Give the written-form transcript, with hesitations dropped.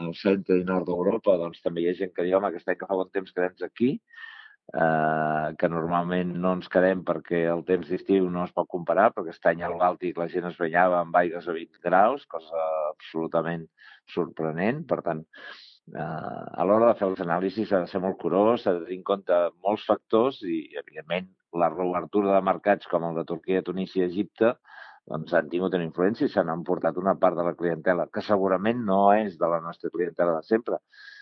al centre i nord d'Europa, doncs també hi ha gent que diu, home, aquest any que fa bon temps quedem aquí, que normalment no ens quedem perquè el temps d'estiu no es pot comparar, perquè aquest any al Bàltic la gent es banyava amb aigües a 20 graus, cosa absolutament sorprenent. Per tant, a l'hora de fer els anàlisis s'ha de ser molt curós, s'ha de tenir en compte molts factors i, evidentment, la reobertura de mercats com el de Turquia, Tunísia i Egipte doncs han tingut una influència i s'han emportat una part de la clientela, que segurament no és de la nostra clientela de sempre,